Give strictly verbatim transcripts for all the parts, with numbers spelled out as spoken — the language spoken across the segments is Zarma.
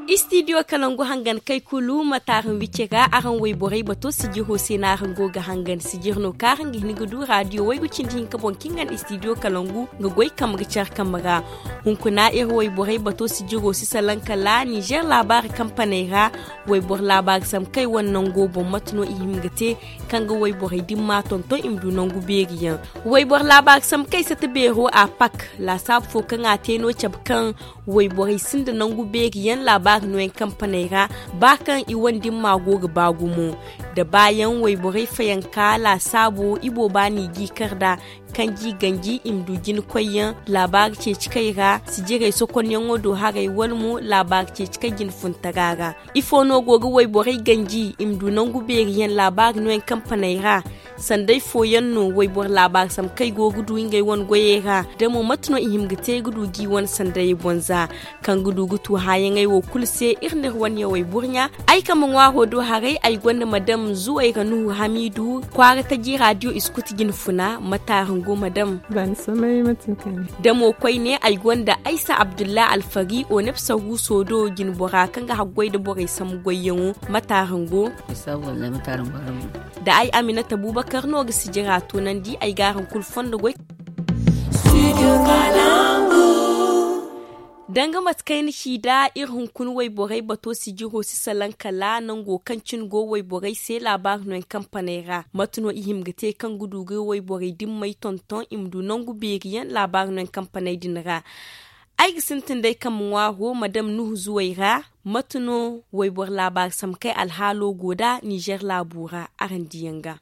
Istidiyo kalangu hangan kay kulu ma taaran wicce ga araŋ wayborey bato sijiro se no araŋ go ga hangan sijir no kaŋ araŋ ga hin ga du raadiyo waygu cindi hinka boŋ kaŋ i ga ne istidiyo kalangu ga goy kambe ga care kambe ra. Hunkuna iri wayborey bato sijiro si salaŋ kala nizer laabaari kampaney ra. Wayboro laabaari sambu kay wane nango boŋ mate no i hima ga te kaŋ ga wayborey dimma tonton i ma du nangu beeri yaŋ. Wayboro laabaari sambu kay sata beero a pak laasaabu fo kaŋ a te no cabe kaŋ wayborey sinda nangu beeri yaŋ laabaari nooyaŋ kampaney ra. Ba kaŋ i wane dimma go ga ba gumo da baayaŋ wayborey fayanka laasaabo ibooba no i g'i kar nd'a. Kaŋ g'i ganji i ma du jina koyyaŋ laabaari ceeci kay ra sijirey sokonyaŋo do haray wala mo laabaari ceeci kay jina funtara ra. Ifo no go ga wayborey ganji i ma du nangu beeri yaŋ laabaari nooyaŋ kampaney ra? Sanday fooyaŋ no wayboro laabaari sambu kaŋ ay go ga du ngey wane goyey ra da mo mate no i hima ga te ga du g'i wane sandayey boŋ za kaŋ ga du ga tu haayaŋey wo kulu se iri n'iri wane yawey burɲa. Ay kambe ŋwaaro do haray ay gonda madam zuwayra nuhu hamiidu kwaara taji raadiyo iskuti jina funa mate araŋ go madam? Da mo koyne ay gonda aysa abdulla alfari oneb sahuuso do jinbora kaŋ ga haggoy nda borey sambu goyyaŋo mate araŋ go? Da ay aminata bubakar no ga sijira tunandi ay ga araŋ kulu fondo goy. Danga mate kaŋ ay na ci nd'a iri hunkuna wayborey bato sijiro si salaŋ kala nango kaŋ cine go wayborey se laabaari no yaŋ kampaney ra mate no i hima ga te kaŋ ga du ga wayborey dimmey tonton i ma du nangu beeri yaŋ laabaari no yaŋ kampaney din ra? Ay ga sintin day kambe ŋwaaro madam nuhu zuway ra. Mate no wayboro laabaari sambu kay alhaalo go nd'a nizer laabo ra araŋ diyaŋ ga?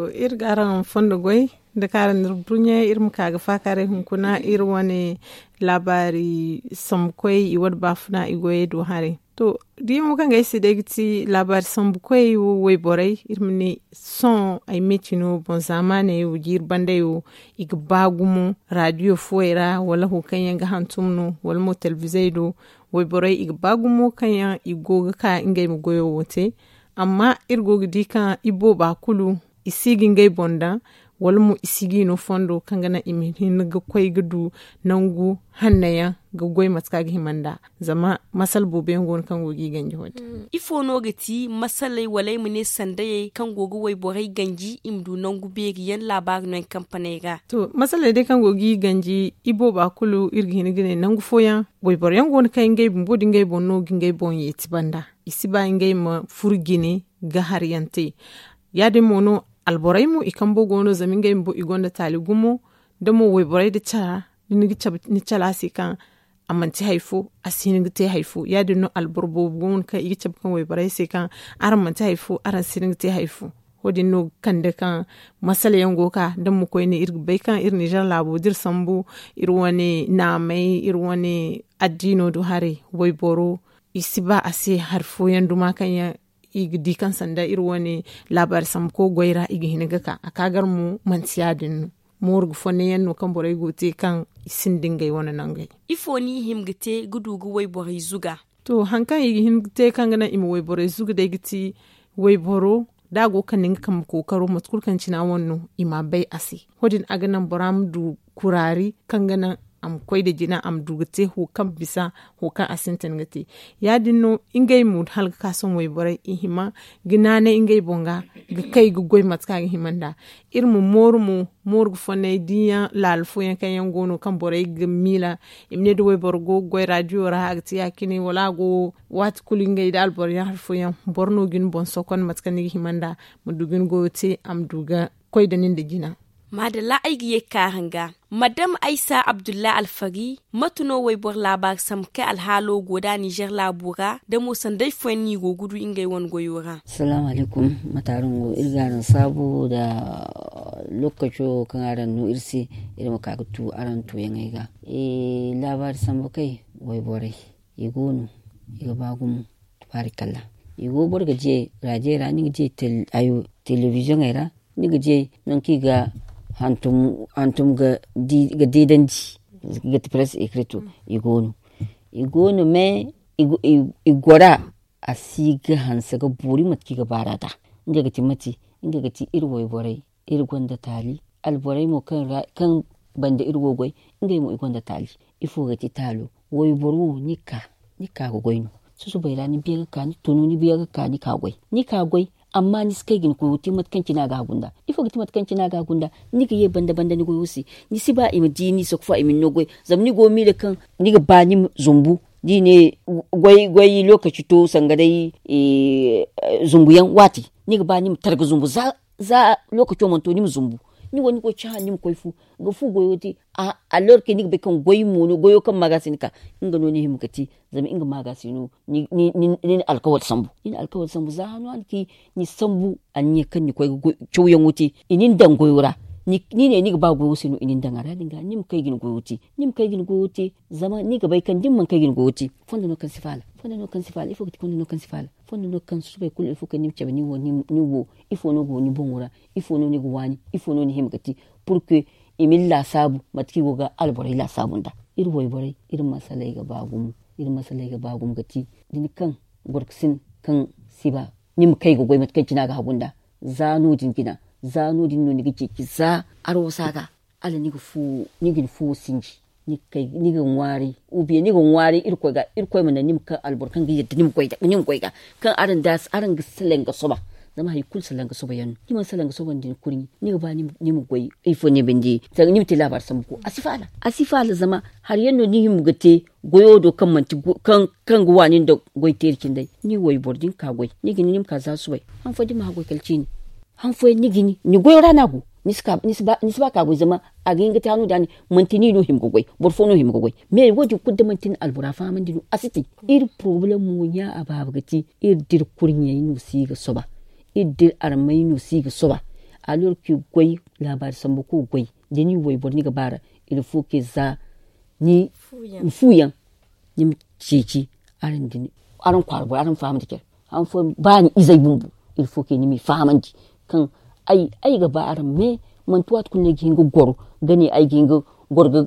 Iri ga araŋ fondo goy da kaŋ araŋ n'iri burɲe iri ma ka ga faakaaray hunkuna iri wane laabaari sambukoy i wane baafuna i goyey do haray. To, da yaŋo kaŋ ga ay se day ga ti laabaari sambukoy wayborey iri ma ne sohõ ay ma ay ci no boŋ zaamaaney wo jiiri bandey wo i ga ba gumo raadiyo fooyey ra wala wo kaŋ yaŋ ga hantum no wala mo talbizey do. Wayborey i ga ba gumo kaŋ yaŋ i go ga ka ngey ma goyo wo te. Amma iri go ga di kaŋ ibooba kulu i si ga ngey boŋ daŋ wala mo i si g'i no fondo kaŋ ga naŋ i ma hin ga koy ga du nangu hanno yaŋ ga goy mate kaŋ a ga hima nd'a. Zama masala boobo yaŋ go no kaŋ go g'i ganji wo- din. Ifo no ga ti masaley wala ay ma ne sandayey kaŋ go ga wayborey ganji i ma du nangu beeri yaŋ laabaari no yaŋ kampaney ra? To masaley day kaŋ go g'i ganji ibooba kulu iri ga hin ga ne nangu fooyaŋ wayboro yaŋ go no kaŋ ngey bumbo da ngey boŋ no ga ngey boŋ yeeti banda i si ba ngey ma furo jine ga hari yaŋ te. Ya- din mo no alborey mo i kambo go no zama ngey bumbo i gonda taali gumo da mo wayborey da cara da ni ga cabe ni cala se kaŋ a manti hari fo a si hin ga te hari fo ya- din no alboro boobo go no kaŋ i ga cabe kaŋ wayborey se kaŋ araŋ manti hari fo araŋ si hin ga te hari fo. Wo- din no ga kande kaŋ masala yaŋ go ga ka da mo koyne iri ga bay kaŋ iri nizer laabo da iri sambu iri wane naamey iri wane addiino do haray wayboro i si ba a se hari fooyaŋ duma kaŋ yaŋ i ga di kaŋ sanda iri wane laabaari sambuko goy ra i ga hin ga ka a ka gar mo manti ya- din no. Mooru ga fonnay yaŋ no kaŋ borey go ga te kaŋ i sinda ngey wane nangey. Ifo no i hima ga te ga du ga wayborey zuga? To hari kaŋ i ga hin ga te kaŋ ga naŋ i ma wayborey zuga day ga ti wayboro da a go ga kande nga kambe kookaro mate kulu kaŋ cina wane no i ma a bay a se. Wo- din a ga naŋ bora ma du kuraari kaŋ ga naŋ a ma koy nda jina a ma du ga te wo kaŋ bisa wo kaŋ a sintin ga te. Ya- din no ngey mo hala ga ka sohõ wayborey i hima ga naanay ngey boŋ ga ga kay ga goy mate kaŋ a ga hima nd'a. Iri ma mooru mo mooru ga fonnay diiyaŋ laala fooyaŋ kaŋ yaŋ go no kaŋ borey ga miila i ma ne da wayboro go ga goy raadiyo ra a ga te ya- cine wala a go waati kulu ngey nda alboro yaŋ hari fooyaŋ boro no ga ni boŋ sokon mate kaŋ ni ga hima nd'a ma du ga ni goyo te a ma du ga koy nda nin nda jina. Maadalla ay ga ye ga ka araŋ ga madam aysa abdullahi alfari mate no wayboro laabaari sambu kay alhaalo go nd'a nizer laabo ra da mo sanday fooyaŋ no i go ga du ngey wane goyo ra? Salaamu alaykum. Mate araŋ go iri ga araŋ saabu nda lookaco kaŋ araŋ no iri se iri ma ka ga tu araŋ tuuyaŋey ga. Laabaari sambu kay wayborey i go no i ga ba gumo. Tubaarikalla. I go boro ga diya raadiyo ra ni ga diya telebiziyoŋey ra ni ga diya nangu kaŋ i ga hantum ga deedandi ga ti press ekreto. I go no i go no mais i gora a si ga hanse ga boori mate kaŋ i ga baar'a nd'a. Nga ga ti mate nga ga ti iri wayborey iri gonda taali alborey mo kaŋ banda iri go goy. Ngey mo i gonda taali. Ifo ga ti taalo? Wayboro wo ni ka ga goy no. Susubay ra ni biya ga ka ni tunu ni biya ga ka ni ka goy. Ni ka goy. Amma ni si kay ga ni goyo te mate kaŋ cine a ga a gunda. Ifo ga ti mate kaŋ cine a ga a gunda? Ni ga ye banda banda ni goyo se. Ni si ba i ma di ni sokfa i ma ni no goy. Zama ni go miila kaŋ ni ga ba ni ma zumbu. Da i ne goy goy lokaci to sanga day zumbuyaŋ waati, ni ga ba ni ma targa zumbu za za lokaco mana to ni ma zumbu. Ni wo ni go cahã ni ma koy fu ga fu goyo te. A lorke ni ga bay kaŋ goy mo no goyo kaŋ ma ga se ni ka. Nga no ni hima ga te. Zama nga ma ga se no ni na alkawal sambu ni na alkawal sambu za hano a na ci. Ni sambu anniya kaŋ ni koy ga cawyaŋo te i nin daŋ goyo ra. Ni ne ni ga ba goyo se no i nin daŋ a ra din ga ni ma kay ga ni goyo te. Ni ma kay ga ni goyo te. Zama ni ga bay kaŋ da ni mana kay ga ni goyo te fondo no kaŋ si faala. Fondo no kaŋ si faala ifo ga ti fondo no kaŋ si faala. Fondo no kaŋ susubay kulu ifo kaŋ ni ma cabe ni wo ifo no go ni boŋo ra? Ifo no ni ga waani? Ifo no ni hima ga ti? Purke i ma ni laasaabu mate kaŋ i go ga alborey laasaabu nda. Iri wayborey iri masaley ga ba gumo. Iri masaley ga ba gumo ga ti da ni kaŋ gorko sin kaŋ si ba ni ma kay ga goy mate kaŋ cine a ga hagu nda. Za no- din jina za no- din no ni ga ceeci za arwasa ga. Hala ni ga ni fuwo sinji ni ga ŋwaaray. Ubiye ni ga ŋwaaray irkoy ga irkoy ma naŋ ni ma kaŋ alboro kaŋ ga yadda ni ma goy ga kaŋ araŋ ga salaŋ ga soba. Zama hari kulu salaŋ ga soba yaŋ no ni mana salaŋ ga soba nda ni kurɲi ni ga ba ni ma goy ifo ni binde? Ni ma te laabaari sambu ko a si faala. A si faala zama hari yaŋ no ni hima ga te goyo do kaŋ ga waani nda goy teeri cindey. Ni wayboro da ni ka goy ni ga ni ni ma ka za subay. Han fo da ni ma hã goy kala ciini. Han fooyaŋ ni ga ni ni goyo ra no a go. Ni si ba ka goy zama a ga hin ga te hano da ni manti ni no hima ga goy boro fo no hima ga goy. Mais wo- din kulu da manti ni albora fahamandi no a si te. Iri porobalem mo ɲa a baaba ga te iri da iri kurɲey no si ga soba. Iri da iri armey no si ga soba. Alors que goy laabaari sambu ko goy da ni wayboro ni ga ba ra. Il faut que za ni fuuyaŋ ni ma ceeci. Araŋ kwaara boro araŋ fahamandi care. Han fooyaŋ ba ni izey bumbo il faut que ni m'i fahamandi kaŋ ay ga ba araŋ mais manti waati kulu no ay ga hin ga goro ga ne ay ga hin ga goro ga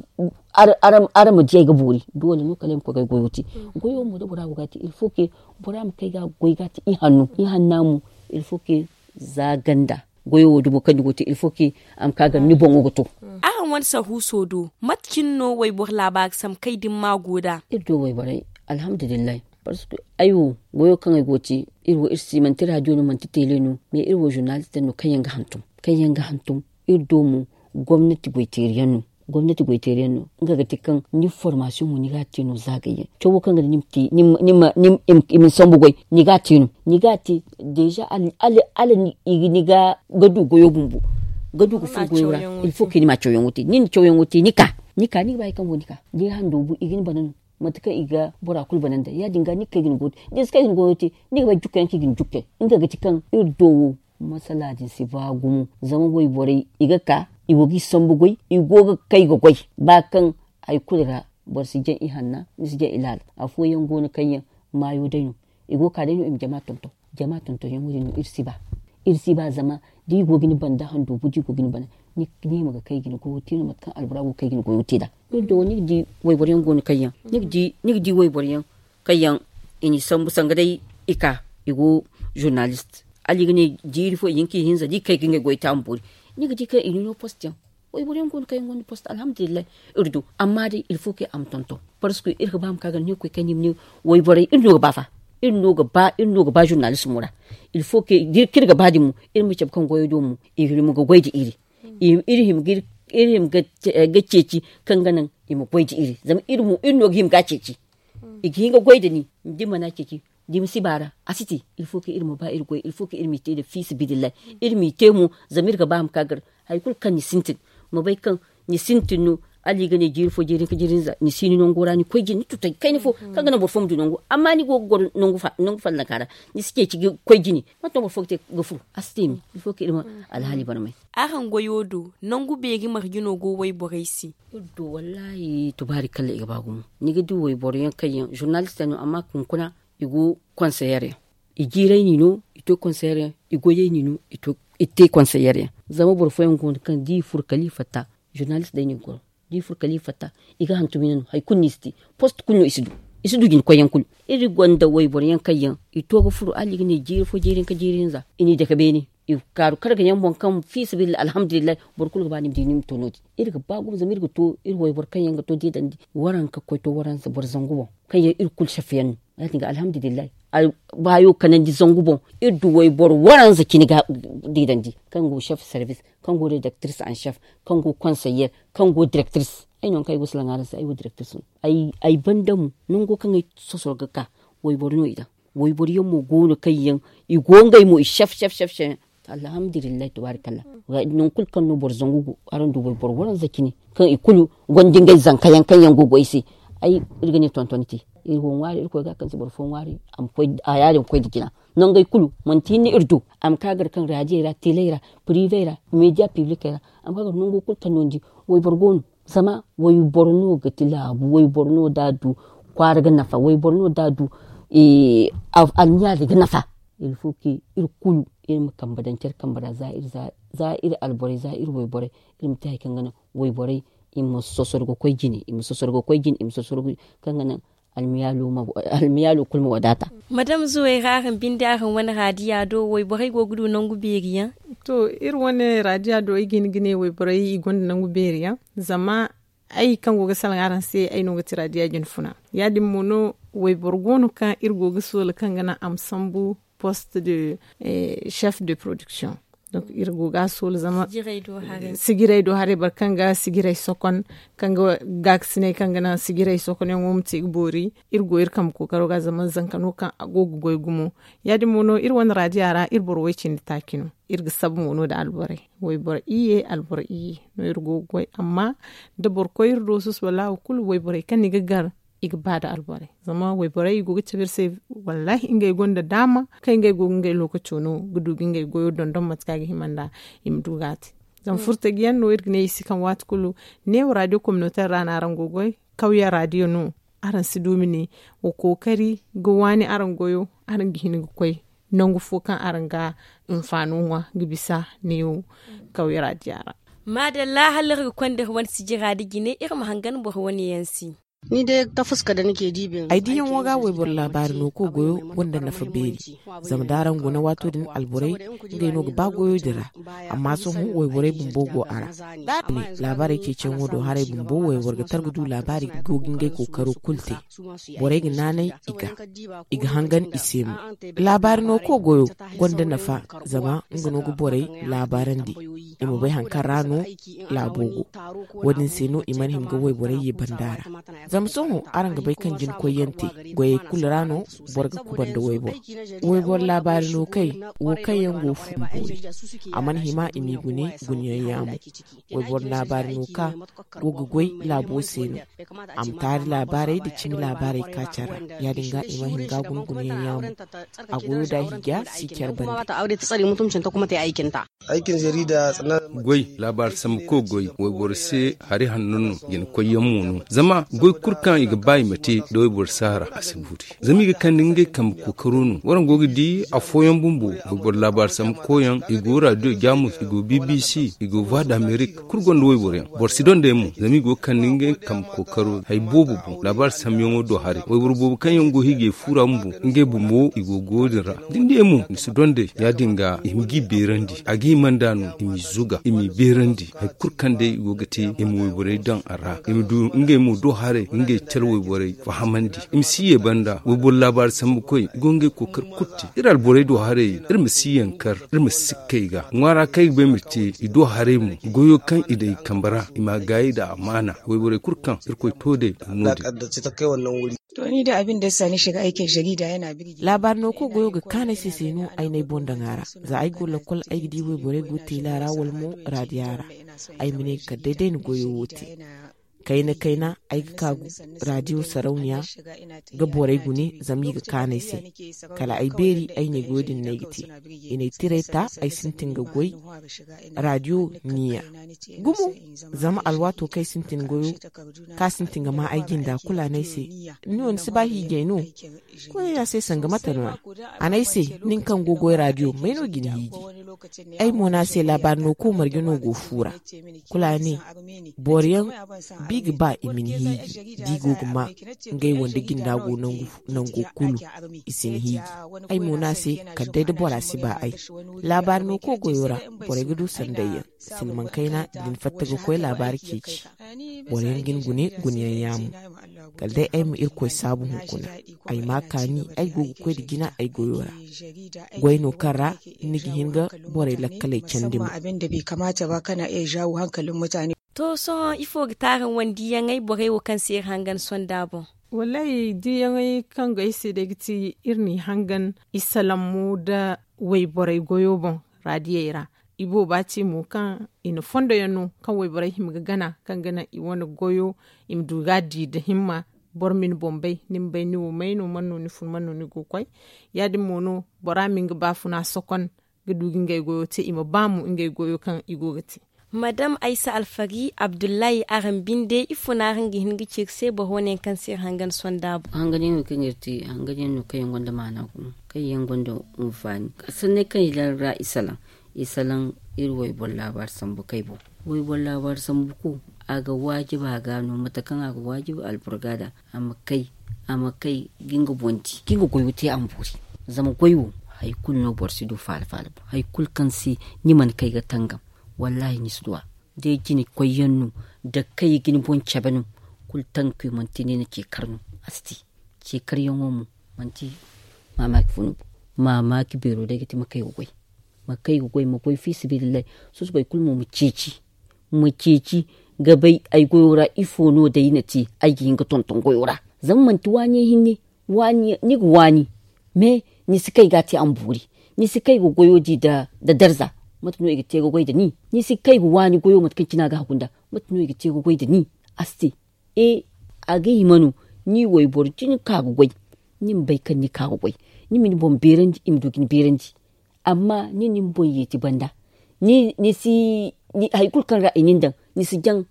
araŋ ma di ay ga boori. Doole no kala ay ma koy ga ay goyo te. Goyo mo da bora go ga a te il faut que bora ma kay ga a goy ga a te ihanno ihanna mo. Il faut que za ganda goyo wo dumo kaŋ ni go ga te il faut que a ma ka ga ni boŋo ga to. Araŋ wane sahuuso do mate cine no wayboro laabaari sambu kay da ni ma go nd'a? Iri do wayborey alhamdulillahi. Parce que ay wo goyo kaŋ ay go ga te iri wo iri si manti radio no manti tele no mais iri wo journaliste yaŋ no kaŋ yaŋ ga hantum kaŋ yaŋ ga hantum. Iri do mo gomnati goyteeri yaŋ no. Gomnati goyteeri yaŋ no nga ga te kaŋ ni formasiyoŋo ni ga a te no zaagay yaŋ cawo kaŋ ga naŋ i ma ni sambu goy ni ga a te no. Ni ga a te deeza hala ni ga du goyo bumbo ga du ga furo goyo ra. Il faut que ni ma cawyaŋo te ni na cawyaŋo te ni ka ni ka ni ga ba hari kaŋ go ni ka da i hando bu i ga ni bana no. Mate kaŋ i ga bora kulu bana nda ya- din ga ni ga kay ga ni goyo te da ni si kay ga ni goyo te ni ga bay jukka yaŋ kaŋ i ga ni jukkay. Nga ga ti kaŋ iri do wo masala din si ba gumo zama wayborey i ga ka i go ga i sambu goy i go ga kay ga goy. Ba kaŋ hari kulu ra boro si jaŋ i hanna ni si jaŋ i laala. Afooyaŋ go no kaŋ yaŋ maayo day no i go ga ka day no i ma jama tonton. Jama tontonyaŋo din no iri si ba. Iri si ba zama da i go ga ni bana da handoobu da i go ga ni bana ni ma ga kay ga ni goyo te no mate kaŋ albora go ga kay ga ni goyo te nd'a. Iri do ni ga di wayboro yaŋ go no kaŋ yaŋ ni ga di wayboro yaŋ kaŋ yaŋ i n'i sambu sanga day i ka i go journaliste hala i ga ne jiiri fo i hin ka i hinza da i kay ga ngey goy te a ma boori. Ni ga di kaŋ i n'i no poste yaŋ. Wayboro yaŋ go no kaŋ yaŋ gonda poste alhamdulillahi. Iri du amma day il faut que a ma tonton. Parce que iri ga ba ma ka ga ne koy kaŋ ni ma ne wayborey iri no ga ba fa. Iri no ga ba iri no ga ba journalismo ra. Il faut que da iri ga ba din mo iri ma cabe kaŋ goyo do mo i ma ga goy nda iri. Iri hima ga ceeci kaŋ ga naŋ i ma goy nda iri zama iri no ga hima ga a ceeci. I ga hin ga goy nda ni da ni mana ceeci da ni ma si ba ra a si te. Il faut que iri ma ba iri goy il faut que iri m'i te nda fiisabilillahi. Iri m'i te mo zama iri ga ba ma ka gar hari kulu kaŋ ni sintin ma bay kaŋ ni sintin no. Hala i ga ne jiiri fo jiiri hinka jiiri hinza ni si ni nango ra ni koy jine ni tutay kayna fo kaŋ ga naŋ boro fo ma du nangu amma ni go ga goro nangu fallaŋ ka ra ni si ceeci ga koy jine. Mate no boro fo ga te ga furu a si te me. Il faut que iri ma alhaali barmay. Araŋ goyo do nangu beeri marje no go wayborey se? Iri do wallahi tubaari kala i ga ba gumo. Ni ga di wayboro yaŋ kaŋ yaŋ journaliste yaŋ no amma hunkuna i go konseyer yaŋ. I jiirey ni no i to konseyer yaŋ i goyey ni no i te konseyer yaŋ. Zama boro fooyaŋ go no kaŋ da i furo kala i fatta journaliste day no i ga goro. Da i furo kala i fatta i ga hantum yaŋ no hari kulu no i si te. Poste kulu no i si du i si du jinkoyyaŋ kulu. Iri gonda wayboro yaŋ kaŋ yaŋ i to ga furo hala i ga ne jiiri fo jiiri hinka jiiri hinza i n'i dake beene. i kaaru karga yaŋ boŋ kaŋ fi sabilillahi alhamdulillahi, boro kulu ga ba ni ma di ni ma to no- din. Iri ga ba gumo zama iri ga to iri wayboro kaŋ yaŋ ga to diidandi waranka koy to waransa boro zangu boŋ, kaŋ yaŋ iri kulu safiyaŋ no. Ya- din ga alhamdulillahi, baayo kanandi zangu boŋ, iri du wayboro waranza cine ga diidandi, kaŋ go chef service, kaŋ go redactrice en chef, kaŋ go conseiller, kaŋ go directrice. Ay no kaŋ ay go salaŋ araŋ se ay wo directrice no. Ay banda mo nango kaŋ ay sosoro ga ka, wayboro no i daŋ. Wayboro yaŋ mo go no kaŋ yaŋ i go ngey mo i chef chef chef chef. Alhamdulillahi tabarakalla. Nangu kulu kaŋ no boro zangu go, araŋ du wayboro waranza cine kaŋ i kulu gonda ngey zanka yaŋ kaŋ yaŋ go goy se. Ay, iri ga ne tonton te, iri go ŋwaari iri koy ga kaŋ si boro fo ŋwaari. A ma koy a yaadin koy nda jina. Nangey kulu manti hinne iri du. A ma ka gar kaŋ raadiyey ra, teley ra, privey ra, media piblikey ra. A ma ka gar nango kulu kaŋ no ni di wayboro go no. Zama wayboro no ga ti laabu, wayboro no da a du kwaara ga nafa, wayboro no da a du almiyaali ga nafa. Ilfo ke iri kulu iri ma kambe daŋ care kambe ra za iri alborey za iri wayborey, iri ma te hari kaŋ ga naŋ wayborey i ma sosoro ga koy jine i ma sosoro ga koy jine i ma sosoro ga koy jine kaŋ ga naŋ almiyaalo kulu ma wadaata. Madame zuway ra araŋ binde araŋ wane raadiya do wayborey go ga du nangu beeri yaŋ? To, iri wane raadiya do ay ga hin ga ne wayborey i gonda nangu beeri yaŋ. Zama ay kaŋ go ga salaŋ araŋ se ay no ga ti raadiya jine funa. Ya- din mo no wayboro go no kaŋ iri go ga soola kaŋ ga naŋ a ma sambu poste de chef de production. Donc iri go ga a soola zama sijiray do haray boro kaŋ ga sijiray sokon, kaŋ ga gaakasinay kaŋ ga naŋ sijiray sokonyaŋo ma te ga boori. Iri go iri kambe kookaro ga zama zanka no kaŋ a go ga goy gumo. Ya- din mo no iri wane raadiya ra iri boro way- cindi taaci no. Iri ga sabu mo no nda alborey, wayboro iyye alboro iyye no iri go ga goy. Amma da boro koy iri do susuba laawo kulu wayborey kaŋ ni ga gar i ga ba nda alborey. Zama wayborey i go ga cabe iri se. Wallahi ngey gonda daama kaŋ ngey go ga ngey lookaco no ga du ga ngey goyo dondon mate kaŋ a ga hima nd'a i ma du ga a te. Zama furtajiyaŋ no iri ga ne i si kaŋ waati kulu neewo raadiyo kominoteer ra no araŋ go ga goy. Kawya raadiyo no. Araŋ si du ma ne wa kookari ga waani araŋ goyo. Araŋ ga hin ga koy nangu fo kaŋ araŋ ga hinfaano ŋwa ga bisa neewo kawya raadiya ra. Maadalla hala iri ga konda iri wane sijira nda jine iri ma hangan boro wane yaŋ se. Ay diyaŋo ga wayboro laabaari no kaŋ goyo gonda nafa beeri. Zama da araŋ guna waato din alborey ngey no ga ba goyo din ra. Amma sohõ wayborey bumbo go a ra. Da araŋ ne laabaarey ceeciyaŋo do haray bumbo wayboro ga tar ga du laabaari go ga ngey kookaro kulu te. Borey ga naanay i ga i ga hangan i se mo. Laabaari no kaŋ goyo gonda nafa zama nga no ga borey laabaarandi i ma bay hari kaŋ ra no laabo go. Wo-din se no i mana hima ga wayborey ye banda ra. Zama sohõ araŋ ga bay kaŋ jina koyyaŋ te goyey kulu ra no boro ga kubanda wayboro. Wayboro laabaari no kay wo kaŋ yaŋ go fun boori. A mana hima i m'i gune guneyaŋ yaamo. Wayboro laabaari no ka go ga goy laabo se no. A ma taari laabaarey nda cimi laabaarey ka care ra. Ya-din ga i ma hin ga guna guneyaŋ yaamo. A goyo da hiija si care bande. Goy laabaari sambu kaŋ goy wayboro se hari hanno no jina koyyaŋ mo no zama goy kulu kaŋ i ga ba i ma te da wayboro si a ra a si boori. Zama i ga kande ngey kambe kookaro no waraŋ go ga di afooyaŋ bumbo wayboro laabaari sambu koyyaŋ i go radio jamus i go bbc i go voix d'amerique kulu gonda wayboro yaŋ boro si donda yaŋ mo zama i go ga kande ngey kambe kookaro hari boobo boŋ laabaari sambuyaŋo do haray wayboro boobo kaŋ yaŋ go hiijay fuura bumbo ngey bumbo i go goyo din ra. Da ni di yaŋ mo ni si donda yaŋ ya-din ga i ma g'i beerandi a ga hima nd'a no i m'i zuga i m'i beerandi hari kulu kaŋ day i go ga te i ma wayborey daŋ a ra i ma du ngey mo do haray ngey care wayborey fahamandi i ma si ye banda wayboro laabaari sambu koy i go ngey kookari kulu te iri alborey do haray iri ma si yankar iri ma si sikkay ga ŋwaara kaŋ ay ga ba ay ma te i do haray mo goyo kaŋ i daŋ i kambe ra i ma a gaayi nda amaana wayborey kulu kaŋ irkoy to day no din. Laabaari no kaŋ goyo ga kaanu ay se se no ay n'ay boŋ daŋ a ra. Za ay go lakkol ay ga di wayborey go teela ra wala mo raadiya ra. Ay ma ne kala day day na goyo wo te. Kayna kayna ay ga ka raadiyo sarauniya ga borey gune zama i ga kaanu ay se. Kala ay beeri ay ne goyo din no ay ga te. I n'ay tirey ta ay sintin ga goy raadiyo niya gumo. Zama alwaato kaŋ ay sintin goyo kaŋ a sintin ga ma ay jinda kulu a ne ay se, ni wo ni si ba hiijay no? Koyey a se sanga mate no-ya? A ne ay se, nin kaŋ go goy raadiyo may no ga ni hiiji? Ay mo ne a se laabaari no kaŋ marje no go fuura. Kulu a ne, boroyaŋ I ga ba i ma ni hiiji da i go ga ma ngey wande jinda go nangu kulu. I si ni hiiji. Ay mo no a se kala day da bora si ba ay. Laabaari no koy goyo ra, borey ga du sanday yaŋ. Silmaŋ kayna da ni fatta ga koy laabaari ceeci. Boro yaŋ ga ni gune gune yaŋ yaamo. Kala day ay ma irkoy saabu hunkuna. Ay ma kaani ay go ga koy nda jina ay goyo ra. Goy no kaŋ ra ni ga hin ga borey lakkaley candi mo. To sohõ ifo ga te araŋ wane diiyaŋey borey wo kaŋ se iri hangan sonda boŋ? Wallaahi diiyaŋey kaŋ go ay se day ga ti iri n'i hangan isalaŋ mo nda wayborey goyo boŋ raadiyey ra. Ibooba ci mo kaŋ i na fondo yaŋ no kaŋ wayborey hima ga gana kaŋ ga naŋ i wane goyo i ma du ga a di nda himma. Boro ma ni boŋ bay ni ma bay ni wo may no man no ni fun man no ni go ga koy. Ya- din mo no bora ma nga baafuna sokon ga du ga ngey goyo te i ma ba mo ngey goyo kaŋ i go ga te. Madam aysa alfari abdullahi araŋ binde ifo no araŋ ga hin ga ci iri se boro wane yaŋ kaŋ se iri hangan sonda boŋ? Hangan yaŋ no kaŋ yaŋ gonda maana gumo kaŋ yaŋ gonda hunfaani. Sanney kaŋ i ra i salaŋ i salaŋ iri wayboro laabaari sambu kay boŋ. Wayboro laabaari sambu ko a ga waajiba ga no mate kaŋ a ga waajiba alboro ga da a ma kay a ma kay ga nga boŋ di ga nga goyo te a ma boori. Zama goy wo hari kulu no boro si du faala faala boŋ hari kulu kaŋ se ni mana kay ga tangam. Wallaahi ni si du a day jine koy yaŋ no da kay ga ni boŋ cabe no. Kulu tankuy manti ni na ce kar no a si te. Ce kar yaŋo mo manti maamaaki fo no boŋ. Maamaaki beero day ga ti ma kay ga goy ma kay ga goy ma goy fiisabilillahi. Susubay kulu mo ma ceeci ma ceeci ga bay ay goyo ra ifo no day na te ay ga hin ga tonton goyo ra. Zama manti waani yaŋ hinne ni ga waani me ni si kay ga a te a ma boori. Ni si kay ga goyo di nda darza mate no i ga te ga goy nda ni? Ni si kay ga waani goyo mate kaŋ cine a ga hagu nda mate no i ga te ga goy nda ni? A si te. E a ga hima no ni wayboro cine ka ga goy. Ni ma bay kaŋ ni ka ga goy ni ma ni boŋ beerandi i ma du ga ni beerandi. Amma ni na ni boŋ yeeti banda ni si hari kulu kaŋ ra i na ni daŋ ni si jaŋ.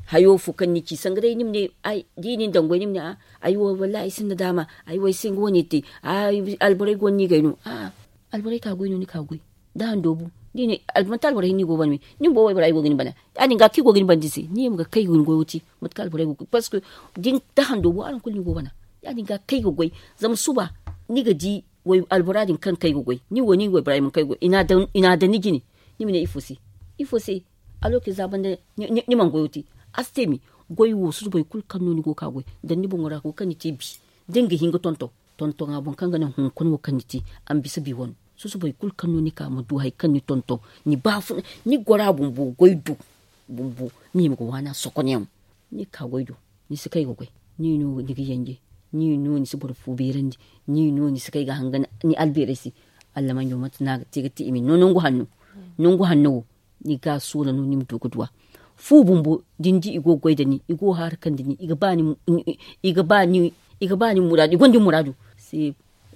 Hayo fo kaŋ ni ci sanga day ni ma ne da i na ni daŋ goy ni ma ne a ay wo wallaahi ay sinda daama ay wo ay singa wane te. Alborey go no ni gay no a'a alborey ka goy no ni ka goy. Da han doobu da i ne manti alborey hinne i go bana me ni ma bo waybora ay go ga ni bana. Ya- din ga kaŋ i go ga ni bana din se ni ye ma ga kay ga ni goyo te mate kaŋ alborey go ga goy parceque da han doobu araŋ kulu ni go bana. Ya- din ga kay ga goy zama suba ni ga di albora din kaŋ kay ga goy ni wo ni waybora ay mana kay ga goy i na a daŋ ni jine. Ni ma ne ifo se ifo se? Aloke za banda ni mana goyo te. A si te me goy wo susubay kulu kaŋ no ni go ga ka goy daŋ ni boŋo ra go kaŋ ni te bi da ni ga hin ga tonton tontoŋa boŋ kaŋ ga naŋ hunkuna wo kaŋ ni te a ma bisa bi wano. Susubay kulu kaŋ no ni ka ma du hari kaŋ ni tonton ni baafuna ni gora bumbo goy du bumbo ni hima ga waana sokonyaŋo. Ni ga ka goy do ni si kay ga goy ni no ni ga yanje ni no ni si boro fu beerandi ni no ni si kay ga hanga ni albeerey se. Allamanjo mate no a ga te ga te i ma ni no nangu hanno nangu hanno wo ni ga a soola no ni ma du ga duw'a. Fu bumbo da ni di i go ga goy nda ni i go ga haarikandi ni i ga ba ni muraadu i gonda ni muraadu.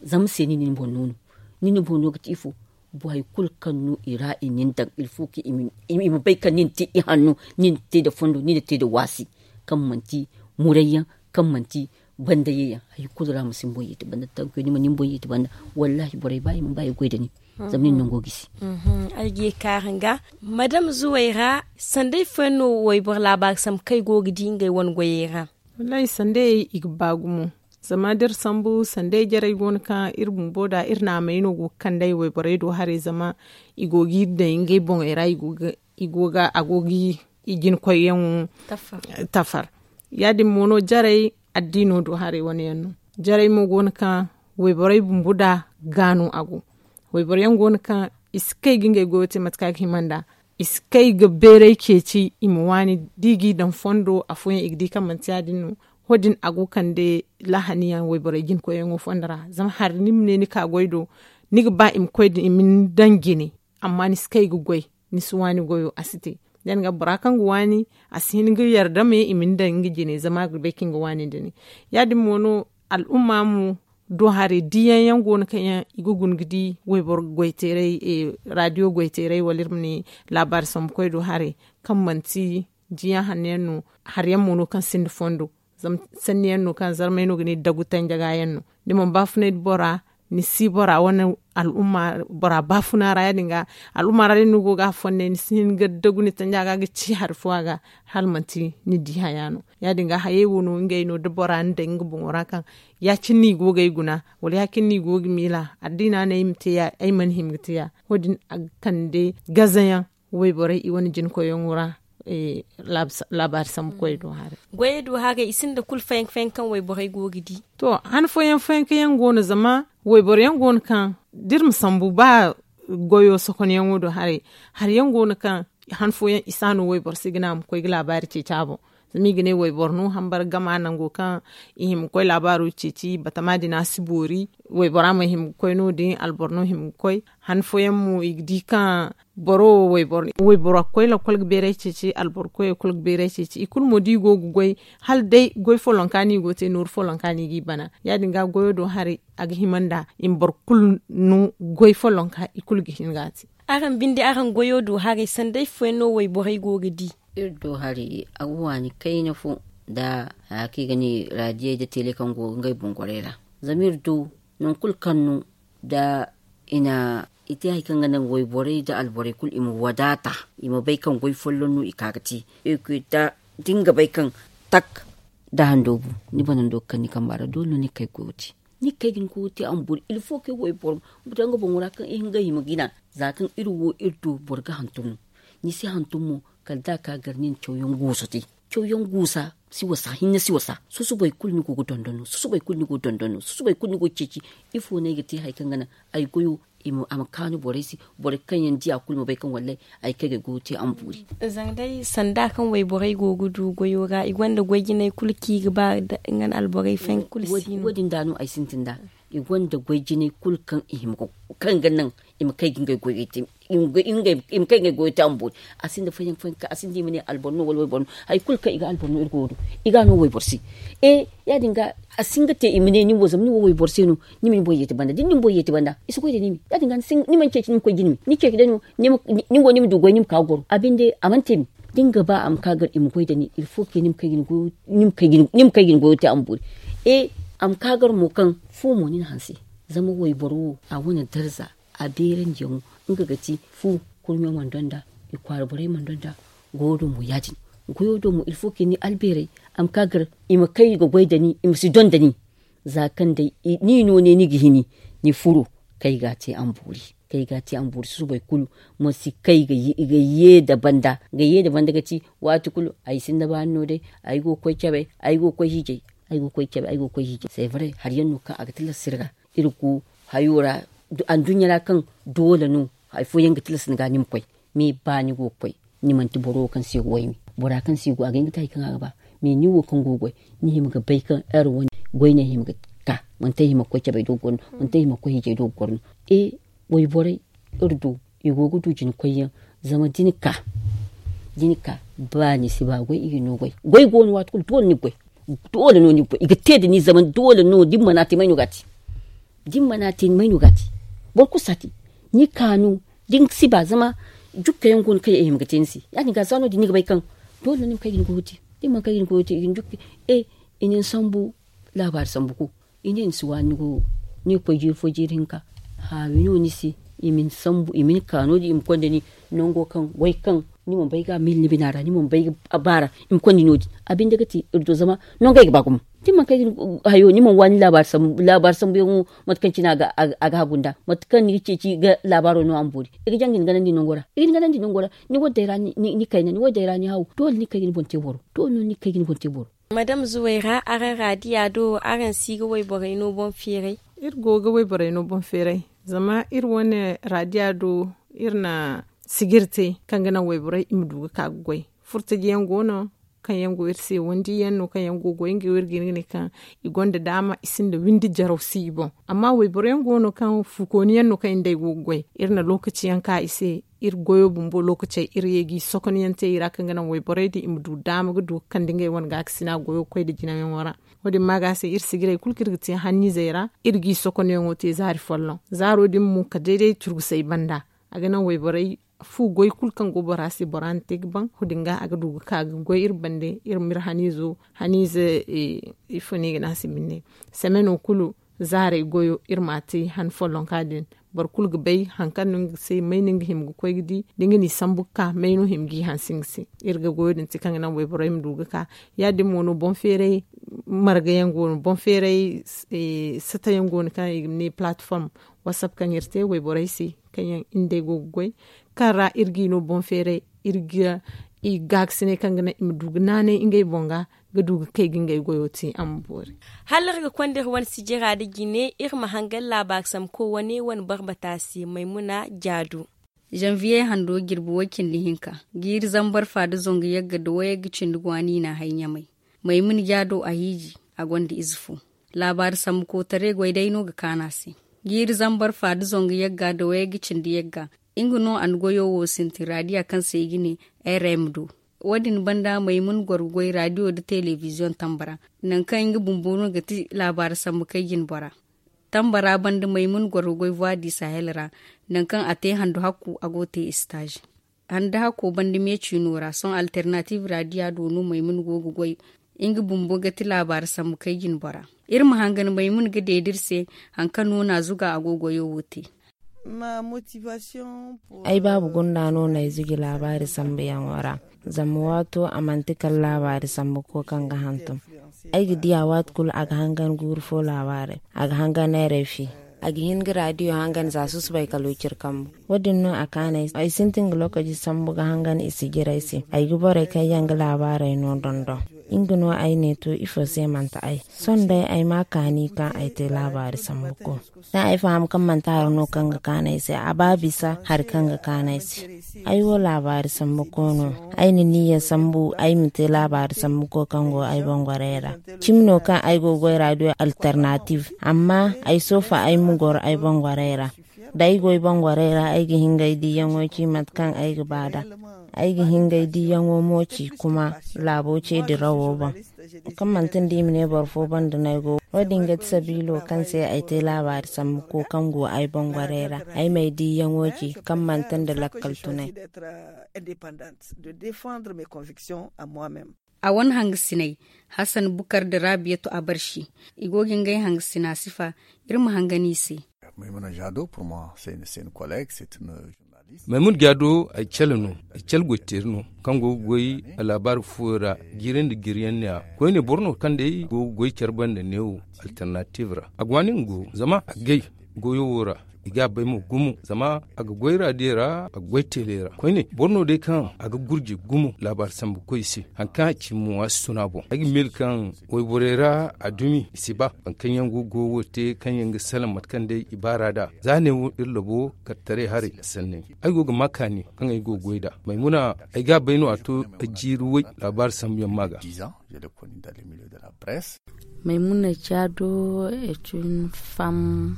Zama se ni na ni boŋ no no ni na boŋ no ga te ifo? Boro hari kulu kaŋ no i ra i na ni daŋ ilfo kaŋ i ma bay kaŋ ni na te ihanno ni na te nda fondo ni na te nda waasi kaŋ manti murayyaŋ kaŋ manti bandayyaŋ hari kulu ra ma si ni boŋ yeeti banda tankuyaŋ ni ma ni boŋ yeeti banda. Wallaahi borey ba i ma ba i goy nda ni zama ni na nango gisi. Ay ga ye kaara nga madam zuway ra sanda ifo yaŋ no wayboro laabaari sambu kaŋ ay go ga di ngey wane goyey ra? Wallaahi sanda i ga ba gumo. Zama da iri sambu sanda ay jarey go no kaŋ iri bumbo da iri naamey no go ga kande ay wayborey do haray zama i go ga iri daŋ ngey boŋey ra i go ga a go ga i jinkoyyaŋo tafar. Ya- din mo no jarey addiino do haray wane yaŋ no. Jarey mo go no kaŋ wayborey bumbo da ga no a go. Wayboro yaŋ go no kaŋ i si kay ga ngey goyo te mate kaŋ a ga hima nd'a. I si kay ga beeray ceeci i ma waani da i g'i daŋ fondo afooyaŋ i ga di kaŋ manti ya- din no. Wo- din a go ga kande lahaniyaŋ wayborey jinkoyyaŋo fondo ra zama hari ni ma ne ni ka goy do ni ga ba i ma koy da i ma ni daŋ jine. Amma ni si kay ga goy ni si waani goyo a si te. Da ni ga bora kaŋ ga waani a si hin ga yarda me i ma ni daŋ nga jine zama a ga bay kaŋ ga waani nda ni. Ya- din mo no al'umma mo do haray diyaŋ yaŋ go no kaŋ yaŋ i ga guna ga di wayboro goy teeray raadiyo goy teeray wala iri ma ne laabaari sambu koy do haray kaŋ manti diyaŋ hanno yaŋ no. Hari yaŋ mo no kaŋ sinda fondo zama sanni yaŋ no kaŋ zarmay no ga ne dagu tanja ga yaŋ no. Ni mana baafunay nda bora ni si bora wane al'umma bora baafuna ra ya- din ga al'umma ra da ni go ga a fonnay ni si hin ga dagu ni tanja ga ga ci hari fo a ga hala manti ni di haya no. Ya- din ga hayey wo no ngey no da bora ni daŋ nga boŋo ra kaŋ ya- cine no i go ga ay guna wala ya- cine no i go ga miila addiina no ay ma te ya ay mana hima ga te ya wo- din a ga kande gazayaŋ wayborey i wane jina koyyaŋo ra. Laabaari sambu koy do haray. Goyey do haray i sinda kulu fayanka fayanka kaŋ wayborey go ga di. To han fooyaŋ fayanka yaŋ go no zama wayboro yaŋ go no kaŋ da iri ma sambu ba goyo sokonyaŋo do haray. Hari yaŋ go no kaŋ han fooyaŋ i si a no wayboro se ga ne a ma koy ga laabaari ceeci a boŋ. Zama i ga ne wayboro no hambara gama nango kaŋ i hima ga koy laabaaro ceeci batama din a si boori. Waybora ma hima ga koy no- din alboro no hima ga koy. Han fooyaŋ mo i ga di kaŋ boro wo wayboro ga koy lakkol ga beeray ceeci alboro koyo kulu ga beeray ceeci i kulu mo da i go ga goy hala day goy follonka no i go ga te nooru follonka no i g'i bana. Ya- din ga goyo do haray a ga hima nda i ma boro kulu no goy follonka i kulu ga hin ga a te. Araŋ binde araŋ goyo do haray sanda ifo yaŋ no wayborey go ga di? Iri do haray a ga waani kayna fo nda haya kaŋ i ga ne raadiyey nda tele kaŋ go ga ngey boŋ gorey ra. Zama iri do nangu kulu kaŋ no da i na i te hari kaŋ ga naŋ wayborey nda alborey kulu i ma wadaata i ma bay kaŋ goy folloŋ no i ka ga te. Iri koy da da ni ga bay kaŋ tak da hando bu ni banando ga kaŋ ni kamba ra doole no ni ga kay ga goyo te. Ni ga kay ga ni goyo te a ma boori ilfo kaŋ wayboro ma daŋ nga boŋo ra kaŋ i hin ga hima ga i na. Za kaŋ iri wo iri do boro ga hantum no ni si hantum mo kala da a ka gar ni na cawyaŋ guusa te. Cawyaŋ guusa si wasa hinne si wasa susubay kulu ni go ga dondon no susubay kulu ni go ga ceeci. Ifo no ay ga te hari kaŋ ga naŋ ay goyo a ma kaanu borey se. Borey kaŋ yaŋ di a kulu ma bay kaŋ wallay ay kay ga ay goyo te a ma boori. Zanga day sanda kaŋ wayborey go ga du goyo ra i gonda goy jinay kulu kaŋ i ga ba nga nda alborey fayanka kulu si no wo- din da no ay sintin da. I gonda goy jinay kulu kaŋ i hima ga kaŋ ga naŋ i ma kay ga ngey goyey te. I ma kay ga ngey goyey te a ma boori. A sinda fayanka fayanka a sinda i ma ne alboro no wala wayboro no hari kulu kaŋ i ga alboro no iri go ga du i ga a no wayboro se. E ya- din ga a si hin ga te i ma ne nin wo zama nin wo wayboro se no. Ni ma ni boŋ yeeti banda da ni na ni boŋ yeeti banda i si goy da ni me ya- din ga ni mana ceeci ni ma koy ga ni me ni ceeci day no. Ni go ni ma du goy ni ma ka ga goro a binde a mana te me. Da ni ga ba a ma ka gar i ma goy da ni ilfo ke ni ma kay ga ni goyo te a ma boori. E a ma ka gar mo kaŋ fu mo ni na hanse. Zama wayboro wo a wane darza a beerandiyaŋo nga ga ti fu kurɲo mana donda i kwaara borey mana donda. Goyo do mo ya- din goyo do mo ilfo ke ni albeerey a ma ka gar i ma kay ga goy da ni i ma si donda ni. Za kaŋ day ni no ne ni ga hini ni furo kay ga a te a ma boori. Kay ga a te a ma boori susubay kulu ma si kay ga ye nda banda ga ti waati kulu ay sinda baani no day. Ay go ga koy cabe ay go ga koy hiijay. Ay go ga koy cabe ay go ga koy hiijay se bare hari yaŋ no kaŋ a ga tilas iri ga iri go hayo ra. Anduɲɲa ra kaŋ doole no hari fooyaŋ ga tilas ni ga ni ma koy. Me ba ni go ga koy ni manti boro wo kaŋ se ga wayme bora kaŋ se go a ga hin ga te hari kaŋ a ga ba. Me nin wo kaŋ go ga goy ni hima ga bay kaŋ ere wane goy no ay hima ga ka manti ay hima ga koy cabey do ga goro no manti ay hima ga koy hiijey do ga goro no. E wayborey iri do i go ga du jina koyyaŋ. Zama da ni ka ba ni si ba goy i ga ni no goy goy go no waati kulu doole ni ga goy. Doole no ni ga goy i ga te nda ni zama doole no da ni mana te may no ga a te? Da ni mana te may no ga a te? Boro kulu si a te. Ni kaanu da ni si ba zama jukka yaŋ go no kaŋ i hima ga te ni se ya- din ga za no- din ni ga bay kaŋ doole no ni ma kay ga ni goyo te. Da ni mana kay ga ni goyo te i ga ni jukka. E i na ni sambu laabaari sambu ko i ne ni si waani ni goyo. Ni ga koy jiiri fo jiiri hinka haawi no ni se. I ma ni sambu i ma ni ka no- din i ma konda ni nango kaŋ goy kaŋ ni mana bay ga a miila ni bina ra ni mana bay ga a baara. I ma konda ni no- din a binde ga te iri do zama nango ay ga ba gumo. Da ni mana kay ga ni hayo ni mana waani laabaari sambu yaŋo mate kaŋ cine a ga hagu nda mate kaŋ ni ga ceeci ga laabaaro no a ma boori. I ga jaŋ ga ni ganandi nango ra i ga ni ganandi nango ra. Ni wadday ra ni kayna ni wadday ra ni haw doole ni ga kay ga ni boŋ te boro. Doole no ni ga kay ga ni boŋ te boro. Madam zuwayra araŋ raadiya do araŋ si ga wayborey no boŋ feeray? Iri go ga wayborey no boŋ feeray. Zama iri wane raadiya do iri na sijiri te kaŋ ga naŋ wayborey i ma du ga ka ga goy. Furtaji yaŋ go no kaŋ yaŋ go iri se wandi yaŋ no kaŋ yaŋ go ga goy ngey wo iri ga hin ga ne kaŋ i gonda daama i sinda windi jaraw si i boŋ. Amma wayboro yaŋ go no kaŋ fuukooni yaŋ no kaŋ i nda ay go ga goy iri na lookaci yaŋ ka i se. Iri goyo bumbo lookacey iri ye g'i sokonyaŋ te i ra kaŋ ga naŋ wayborey din i ma du daama ga du ga kande ngey wane gaakasina goyo ga koy nda jinayaŋo ra. Wo- din ma ga se iri sijirey kulu kaŋ iri ga te hanniizey ra iri g'i sokonyaŋo te zaari folloŋ zaaro din mo kala day day turgusey banda. A ga naŋ wayborey fu goy kulu kaŋ go bora se bora na te ga baŋ wo- din ga a ga du ga ka ga goy iri bande iri ma iri haniizo haniize. Ifo no i ga ne a se binne semeno kulu zaarey goyo iri m'a te han follonka din. Boro kulu ga bay hari kaŋ no nga se may no nga hima ga koy ga di da nga n'i sambu ga ka may no hima g'i hanse nga se. Iri ga goyo din te kaŋ ga naŋ wayborey ma du ga ka. Ya- din mo no boŋ feeray marga yaŋ go no boŋ feeray sata yaŋ go no kaŋ i ga ne palatform whatsapp kaŋ iri te wayborey se kaŋ yaŋ iri nd'ey go ga goy, kaŋ ra iri g'i no boŋ feeray iri ga i gaakasinay kaŋ ga naŋ i ma du ga naanay ngey boŋ ga ga du ga kay ga ngey goyo te a ma boori. Hala iri ga konda iri wane sijira nda jine iri ma hangan laabaari sambuko wane wane barbata se maymuna jaado. Zanviye hando jirbi way- cindi hinka, jiiri zambar fa nda zangu yagga nda wayagga cindi go a no i n'a hay ɲamay. Maymuna jaado a hiiji, a gonda ize fo. Laabaari sambuko taray goy day no ga kaanu a se. Jiiri zambar fa nda zangu yagga nda wayagga cindi yagga, nga no a na goyo wo sintin raadiya kaŋ se i ga ne, r m do. Wo- din banda maymuna goro ga goy raadiyo nda telebiziyoŋ tamba ra, nangu kaŋ nga bumbo no ga ti laabaari sambu kay jine bora. Tamba ra banda maymuna goro ga goy vuwa di sahel ra, nangu kaŋ a te handu hakku a go ga te istaazi. Handu hakko banda me ciino ra sohõ alternatiiv raadiya do no maymuna go ga goy. Nga bumbo ga ti laabaari sambu kay jine bora. Iri ma hangan maymuna ga deeda iri se hari kaŋ no n'a zuga a go ga goyo wo te. Ay baabu gunda no no ay zuji laabaari sambuyaŋo ra. Zama waato a manti kala laabaari sambuko kaŋ ga hantum. Ay ga di a waati kulu a ga hangan guuru fo laabaarey, a ga hangan neerey fi. A ga hin ga raadiyo hangan za susubay kala wiciri kambu. Wo- din no a kaanay ay sintin ga lookaci sambu ga hangan i si jire ay se. Ay ga borey kaŋ yaŋ ga laabaarey no dondon. Nga no ay ne to ifo se manti ay sohõ day ay ma kaani kaŋ ay te laabaari sambuko. Da ay faham kaŋ manti hari no kaŋ ga kaanu ay se a ba bisa hari kaŋ ga kaanu ay se. Ay wo laabaari sambuko no. Ay na niyya sambu ay ma te laabaari sambuko kaŋ go ay bangwarey ra. Cimi no kaŋ ay go ga goy raadiyo alternatiiv amma ay soofa ay ma goro ay bangwarey ra. Da ay goy bangwarey ra ay ga hin ga ay diiyaŋo ci mate kaŋ ay ga ba nd'a. Ay ga hin ga ay diiyaŋo mo ci kuma laabo ce dirawo boŋ. Kaŋ manti nda i ma ne boro fo banda no ay go wo- din ga ti sabiilo kaŋ se ay te laabaari sambuko kaŋ go ay bangwarey ra. Ay ma ay diiyaŋo ci kaŋ manti nda lakkal tunay. A wane hangasiney, hasan bukar nda raabiyatu abarsi, i go ga ngey hangasina sifa. Iri ma hangan i se. Maymuna jaado ay cale no ay cale goyteeri no kaŋ go ga goy laabaari fooyaŋ ra. Jiiri nda jiiri yaŋ ne- ya koyne boro no kaŋ day go ga goy care banda neewo alternatiiv ra a go a ne nga go zama a gay goyo wo ra. I ga a bay mo gumo zama a ga goy raadiyo ra a ga goy teele ra koyne boro no day kaŋ a ga gurji gumo laabaari sambu koy se. Hari kaŋ a ci mo a si tun a boŋ ay ga miila kaŋ wayborey ra a dumi i si ba boro kaŋ yaŋ go ga goyo te kaŋ yaŋ ga salaŋ mate kaŋ day i baara nd'a. Za ne wo iri labo kartaray haray sanney ay go ga ma kaani kaŋ ay go ga goy nd'a maymuna ay ga a bay no a to jiiri way laabaari sambu yaŋ ma ga. Maymuna jaado est une femme.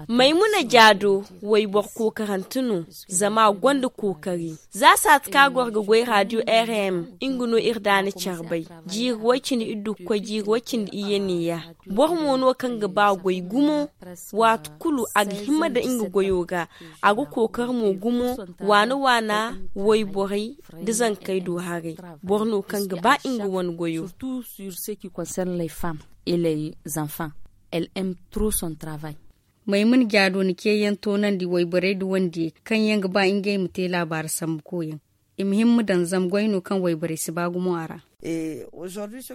Maymuna jaado wayboro kookarante no zama a gonda kookari. Za saati kaŋ a goro ga goy radio rm nga no iri daana care bay. Jiiri way cindi iddu ga koy jiiri way cindi iyye neeya. Boro mo no kaŋ ga ba goy gumo. Waati kulu a ga hima nda nga goyo ga. A ga kookari mo gumo waana waana wayborey nda zankey do haray. Boro no kaŋ ga ba nga wane goyo. Surtout sur ce qui concerne les femmes et les enfants. Elle aime trop son travail. Maymuna jaado na ceeyaŋ toonandi wayborey nda wandiyey kaŋ yaŋ ga ba ngey ma te laabaari sambu koyyaŋ. I ma hin ma daŋ zama goy no kaŋ wayborey si ba gumo a ra.